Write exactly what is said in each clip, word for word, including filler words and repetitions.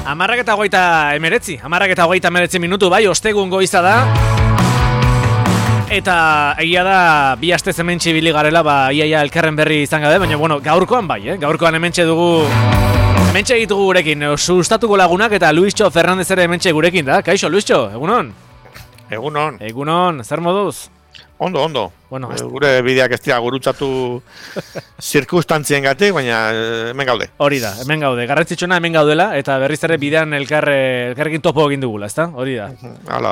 Amarrak eta hogeita emeretzi, amarrak eta hogeita emeretzi minutu, bai, ostegun goiza da. Eta egia da, bi aste hementxe ibili garela, ba, iaia elkarren berri izan gabe, baina, bueno, gaurkoan bai, eh? Gaurkoan hementxe dugu, hementxe egitugu gurekin, sustatuko lagunak eta Luischo Fernandez ere hementxe gurekin, da? Kaixo, Luischo, egunon? Egunon. Egunon, zer moduz? Ondo, ondo. Bueno, e, gure bideak ez dira gurutzatu zirkustantzien gatik, baina hemen gaude. Hori da, hemen gaude. Garrantzitsuna hemen gaudela, eta berriz ere bidean elkar, elkarrekin topo egin dugula, ezta? Hori da. Hala.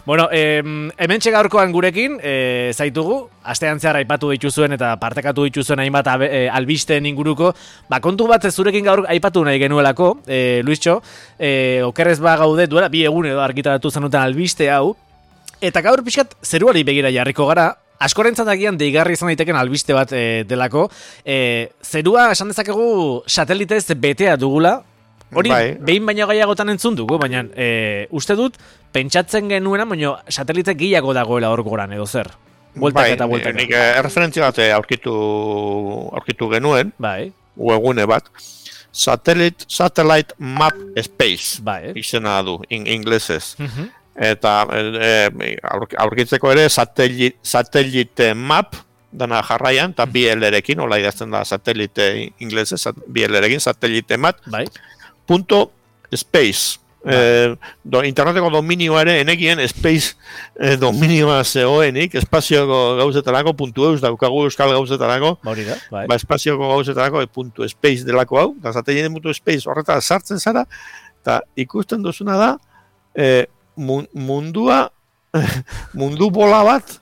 Bueno, eh, hementxe gaurkoan gurekin, eh, zaitugu, astean zehar aipatu dituzuen eta partekatu dituzuen hainbat eh, albisteen inguruko, ba, kontu bat zurekin gaur aipatu nahi genuelako, eh, Luischo, eh, okerrez ba gaude, duela bi egun edo argitaratu zenuten albiste hau, eta gaur pixkat zeruari begira jarriko gara, askorentzat agian deigarri izan daiteken albiste bat e, delako. E, zerua esan dezakegu satelitez betea dugula, hori bai. Behin baino gehiagotan entzun dugu, baina e, uste dut pentsatzen genuena, baina satelite gehiago dagoela hor goran edo zer. Bueltak bai, eta bueltak. Nik erreferentzia bat aurkitu, aurkitu genuen, bai. Webgune bat. Satellite, Satellite Map Space, bai. Izena du, in, inglesez. Uh-huh. Eta e, aurkitzeko ere satelite, satelite map dana jarraian, eta B L-erekin, hola idazten da satelite inglese, B L-erekin, satelite map, bai. Punto space. Bai. E, do, interneteko dominioa ere, enekien space e, dominioa zehoenik, espazioko gauzetarako, puntu eus, daukagu euskal gauzetarako, Baurida, bai. Ba, espazioko gauzetarako, e, puntu space delako hau, eta satelite puntu space horreta sartzen zara, eta ikusten duzuna da, e, mundua, mundu bola bat,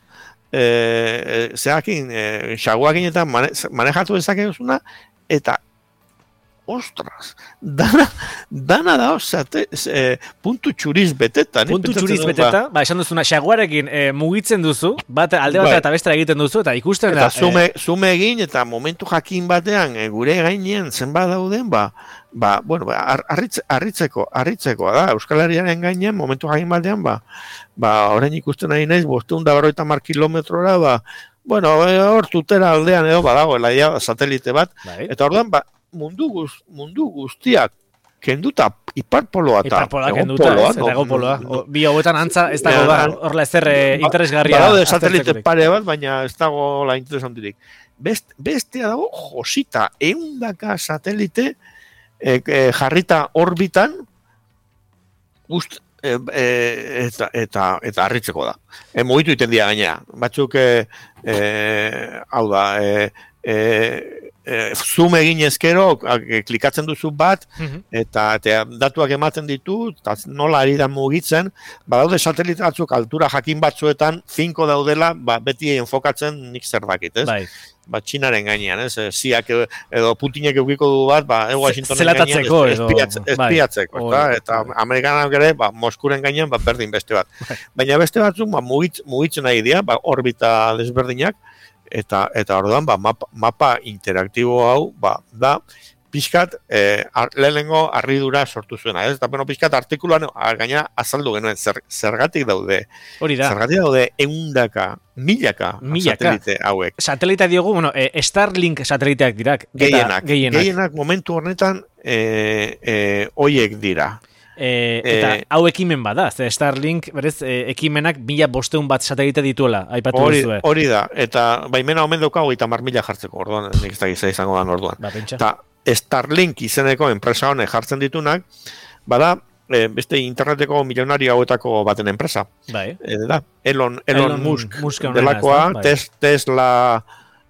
e, e, zeakin, e, xaguakin eta mane, manejatu dezakezuna, eta, ostras, dana, dana da, zate, e, puntu txuriz beteta. Puntu txuriz beteta, ba, ba esan duzuna, xaguarekin e, mugitzen duzu, bat alde bat eta bestra egiten duzu, eta ikusten eta da. Zume, e... zume egin, eta momentu jakin batean, e, gure gainean zenbat dauden, ba, Ba, bueno, ar, arritze, arritzeko, arritzeko da, Euskal Herriaren gainean, momentu jakin batean, ba, ba, orain ikusten nahi naiz, bosteun da berrogeita hamar kilometrora, ba, bueno, hor tutera aldean edo, badagoela, ja, satelite bat, bai. Eta orduan, ba, mundu, guz, mundu guztiak, kenduta, iparpoloa eta iparpoloa kenduta, ez, eta egopoloa. No, bi hauetan antza, ez dago da, horrela ezer ba, interesgarria. Badaude satelite pare bat, baina ez dago la interesantirik. Best, bestea dago, josita, eundaka satelite, E, e, jarrita orbitan gust, e, e, eta, eta, eta harritzeko da. E, mugitu iten dira gainera. Batzuk, e, e, hau da, e, e, e, zoom egin ezkero, e, klikatzen duzu bat, uh-huh. eta, eta datuak ematen ditu, eta nola ari da mugitzen, badaude satelite batzuk altura jakin batzuetan, finko daudela, ba, beti enfokatzen nik zer dakit, ez? Bai. Ba, Txinaren gainean, ez? Ziak edo Putinek eukiko du bat, ba, Washingtonen gainean espiatze, espiatzeko, bai. Eta Amerikanak ere, ba, Moskuren gainean, ba, berdin beste bat. Bai. Baina beste batzuk, ba, mugitz, mugitzen nahi dira, ba, orbita desberdinak, eta eta orduan, ba, mapa, mapa interaktibo hau, ba, da, pixkat, eh, ar, lehenengo harridura sortu zuena, ez? Eta, bueno, pixkat, artikuluan, gaina azaldu genuen, zer, zergatik daude. Hori da. Zergatik daude eundaka, milaka, milaka satelite hauek. Satelita diogu, bueno, eh, Starlink sateliteak dirak. Gehienak, gehienak. Gehienak momentu horretan, eh, eh, oiek dira. E, eta e, hau ekimen bada, ze Starlink berez e, ekimenak mila bosteun bat satelite dituela, aipatu duzue. Hori da, eta baimena omen dauka hogeita hamar mila jartzeko, orduan, nik ez da gizai izango da orduan. Ba, eta Starlink izeneko enpresa honek jartzen ditunak, bada, e, beste interneteko milionario hauetako baten enpresa. Bai. E, da, Elon, Elon, Elon Musk, Musk delakoa, bai. tes, Tesla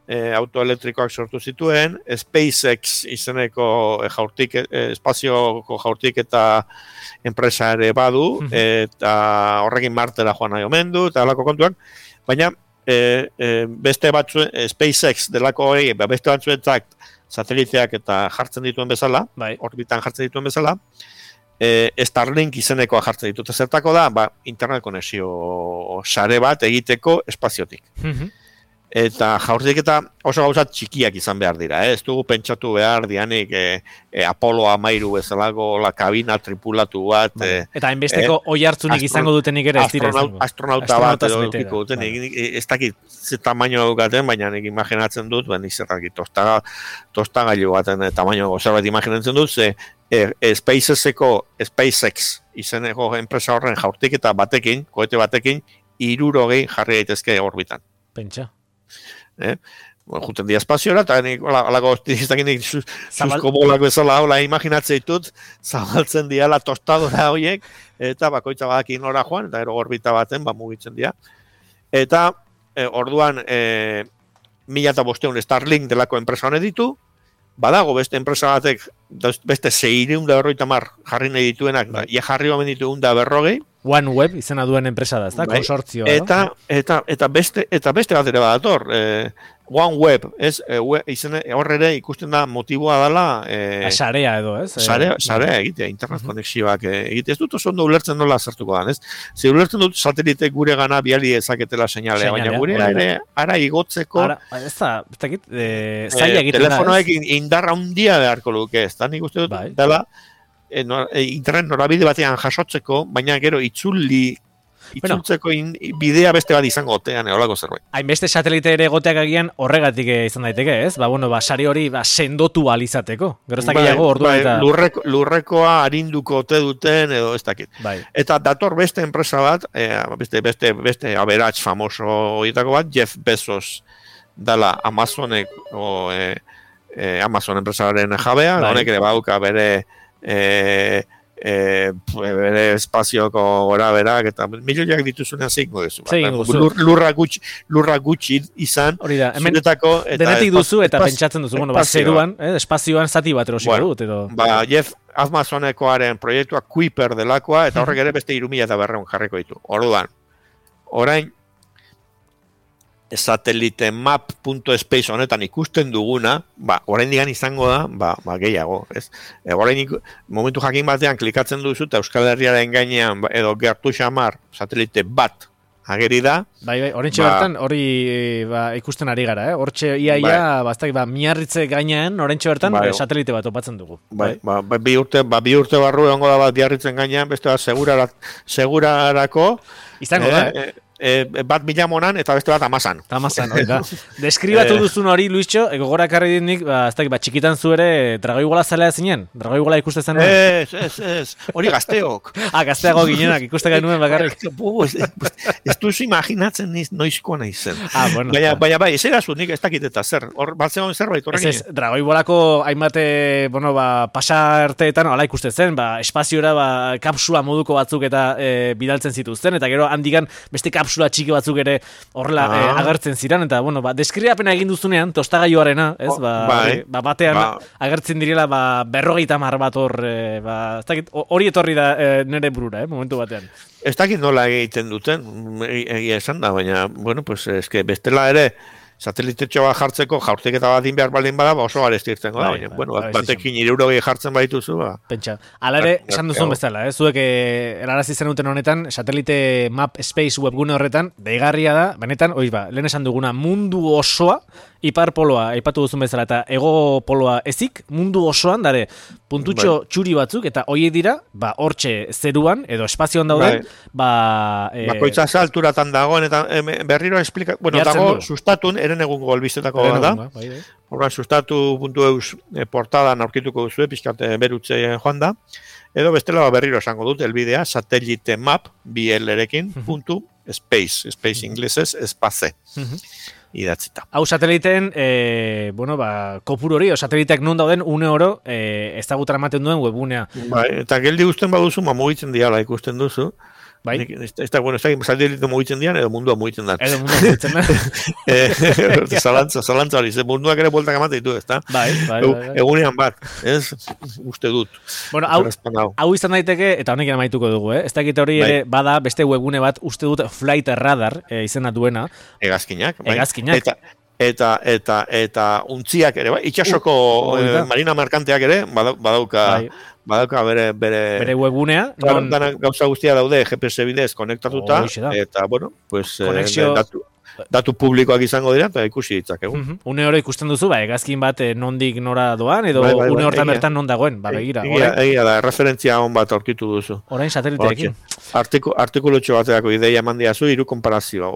e, autoelektrikoak sortu zituen, SpaceX izeneko e, jaurtik, e, espazioko jaurtik eta enpresa ere badu, eta horrekin Martera joan nahi omen du, eta alako kontuak, baina e, e, beste batzuen, SpaceX delako hori, beste batzuetak sateliteak eta jartzen dituen bezala, bai. Orbitan jartzen dituen bezala, e, Starlink izenekoa jartzen ditut. Zertako da, ba, internet konexio sare bat egiteko espaziotik. Mm-hmm. Eta jaurtik eta oso gauzat txikiak izan behar dira, eh? Ez dugu pentsatu behar dianik e, e, Apollo hamairu bezalako la kabina tripulatu bat. E, eta hainbesteko e, oi hartzunik astron, izango dutenik ere ez dira. Astronaut, astronauta bat edo dukiko dutenik. Bai. Ez dakit ze tamaino dukaten, baina nik imaginatzen dut, ben izerrakit tosta, tostagailu baten tamaino gozer bat imaginatzen dut, ze e, e, SpaceXeko, SpaceX izeneko enpresa horren jaurtiketa batekin, kohete batekin, hirurogei jarri daitezke orbitan. Pentsa. Eh? Bueno, juten dia espaziora, eta nik, alako, nik susko bolak bezala, hola, imaginatzea ditut, zabaltzen diala tostadora horiek, eta bakoitza badakin nora joan, eta ero orbita baten, ba, mugitzen dira. Eta, e, orduan, e, mila eta bosteun Starlink delako enpresa honet ditu, badago beste enpresa batek, beste seireun da berroita mar jarri nahi dituenak, bai. Ia jarri omen ditu da berrogei. OneWeb izena duen enpresa da, ez da? Bai. Konsortzioa. Eta, eta, eta, beste, eta beste bat ere badator, e, OneWeb, ez, e, izena, horre ere ikusten da motiboa dela... E, sarea edo, ez? Sarea, sarea egitea, internet uh-huh. konexioak egitea. Ez dut oso ondo ulertzen nola zertuko dan, ez? Ze ulertzen dut satelite gure gana biali ezaketela seinalea, baina gure ere ara igotzeko... Ara, ez da, ez da, e, zaila egiten da, telefonoek indarra handia beharko luke, ez da, nik uste dut, bai. Dela, e, no, e, internet norabide batean jasotzeko, baina gero itzuli... Itzultzeko in, bidea beste bat izango otean, eolako zerbait. Hainbeste satelite ere goteak agian horregatik izan daiteke, ez? Ba, bueno, ba, sari hori ba, sendotu alizateko. Gero ez dakiago orduan bai, eta... Lurreko, lurrekoa harinduko ote duten, edo ez dakit. Bai. Eta dator beste enpresa bat, e, beste, beste, beste aberats famoso horietako bat, Jeff Bezos dala Amazonek, o, e, e, Amazon enpresaren jabea, bai. Honek ere bauka bere... E, E, bere espazioko gora berak eta milioiak dituzunean zeiko duzu Lur, lurra, gutxi, lurra gutxi izan hori da, hemen zuretako, eta denetik duzu eta espas, pentsatzen duzu bueno, ba, zeruan, eh, espazioan zati bat erosiko bueno, dut edo. Ba, Jeff Amazonekoaren proiektua Kuiper delakoa eta horrek ere beste irumila eta berreun jarriko ditu orduan, orain satelite map punto space honetan ikusten duguna, ba, orain digan izango da, ba, ba gehiago, ez? E, orain iku, momentu jakin batean klikatzen duzu eta Euskal Herriaren gainean edo gertu xamar satelite bat ageri da. Bai, bai, horrentxe ba, bertan hori ba, ikusten ari gara, eh? Hortxe ia ia, bai. Bastak, ba, miarritze gainean, horrentxe bertan bai. Satelite bat topatzen dugu. Bai, bai. Ba, bi urte, ba, bi urte barru egongo da bat biarritzen gainean, beste bat segurara, segurarako. Izango da, eh? eh? E, bat milamonan eta beste bat amazan. Amazan, hori da. Deskribatu duzun hori, Luisxo, gogora karri dinik, ba, ez dakit, ba, txikitan zu ere dragoigola zalea zinen? Dragoigola ikuste zen? Ez, ez, ez. Hori gazteok. Ah, gazteago ginenak, ikuste genuen bakarrik. Ez duzu imaginatzen niz noizko nahi zen. Ah, bueno. Baina, baina bai, ez erazu nik ez dakit eta zer. Hor, batzegoen zerbait horrekin. Ez, ez, dragoibolako hainbate, bueno, ba, pasarteetan, ala ikuste zen, ba, espaziora, ba, kapsula moduko batzuk eta e, bidaltzen zituzten, eta gero handikan beste kapsula txiki batzuk ere horrela ah. eh, agertzen ziren, eta, bueno, ba, deskribapena egin duzunean, tostagailuarena, ez, ba, bai, ba batean ba. agertzen direla, ba, berrogeita mar bat hor, eh, ba, ez dakit, hori etorri da eh, nire burura, eh, momentu batean. Ez dakit nola egiten duten, egia esan da, baina, bueno, pues, eske, bestela ere, satelitetxo bat jartzeko jaurtiketa bat behar baldin bada, ba oso garestirtzen da. Bai, bai, bueno, bai, batekin hirurogei jartzen badituzu, ba. Pentsa. Hala ere, esan duzun bezala, eh? Zuek erarazi zenuten honetan, satelite map space webgune horretan, deigarria da, benetan, oiz ba, lehen esan duguna, mundu osoa, ipar poloa, aipatu duzun bezala, eta ego poloa ezik, mundu osoan, dare, puntutxo bai. txuri batzuk, eta hoiek dira, ba, hortxe zeruan, edo espazioan dauden, bai. ba... E... Bakoitza alturatan dagoen, eta e, berriro explika... Bueno, dago, du. sustatun, eren egungo albistetako da. Bai, bai. Horra, sustatu puntu eus e, portadan aurkituko duzu, pixkate berutze joan da. Edo bestela berriro esango dut, elbidea, satellite map, bi L-erekin, puntu, space, space inglesez, espaze. Idatzita. Hau sateliteen, e, bueno, ba, kopuru hori, o sateliteak non dauden, une oro, e, ezagutara ematen duen webunea. Bai, eta geldi guztien baduzu, ma mugitzen diala ikusten duzu. Bai. Ez da, bueno, ez da, satelite mugitzen dian, edo mundua mugitzen da. Edo mundua mugitzen da. Zalantza, zalantza hori, munduak ere bueltak emate ditu, ez da? Bai, bai, bai. Egunean bat, ez, uste dut. Bueno, hau, hau izan daiteke, eta honekin amaituko dugu, eh? Ez dakit hori bai. ere, bada, beste webgune bat, uste dut Flight Radar, e, izena duena. Egazkinak, bai. Egazkinak. Eta, eta, eta, eta, untziak ere, bai? Itxasoko uh, eh, marina markanteak ere, badauka... Bai. Badauka bere, bere... Bere webgunea. Non... Gauza guztia daude G P S bidez konektatuta. Oh, eta, bueno, pues... Konexio... Eh, datu, datu publikoak izango dira, eta ikusi ditzakegu. Uh-huh. Une hori ikusten duzu, ba, egazkin bat nondik nora doan, edo bai, bai, une hortan bertan non dagoen, ba, begira. Egia, egia da, referentzia hon bat aurkitu duzu. Orain sateliteekin. Artiku, artikulutxo bateako ideia eman diazu, hiru konparazioa.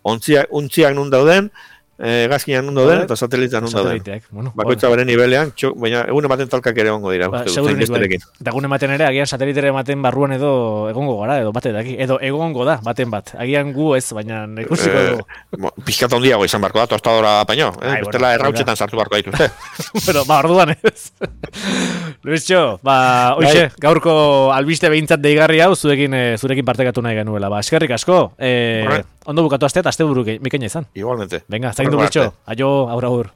Untziak, untziak nun dauden, eh, gazkinan ondo den, eta satelitean ondo den. Sateliteak, bueno. Bakoitza bere nivelean, txo, baina egun ematen talkak ere ongo dira. Ba, uste dut, segurunik bai. hainbesterekin. Eta egun ematen ere, agian satelitere ematen barruan edo egongo gara, edo bate daki. Edo egongo da, baten bat. Agian gu ez, baina ikusiko Eh, dugu. mo- Pizkat handiago izan barko da, tostadora paino. Eh? Ai, Bestela bueno, errautxetan sartu barko dituzte. Pero, ba, orduan ez. Luisxo, ba, hoxe, gaurko albiste behintzat deigarri hau, zurekin, eh, zurekin partekatu nahi genuela. Ba, eskerrik asko, eh, Horre. ondo bukatu asteat, aste buru mikaina izan. Igualmente. Venga, zaindu Horrengo Luisxo. arte. Aio, aur, aur.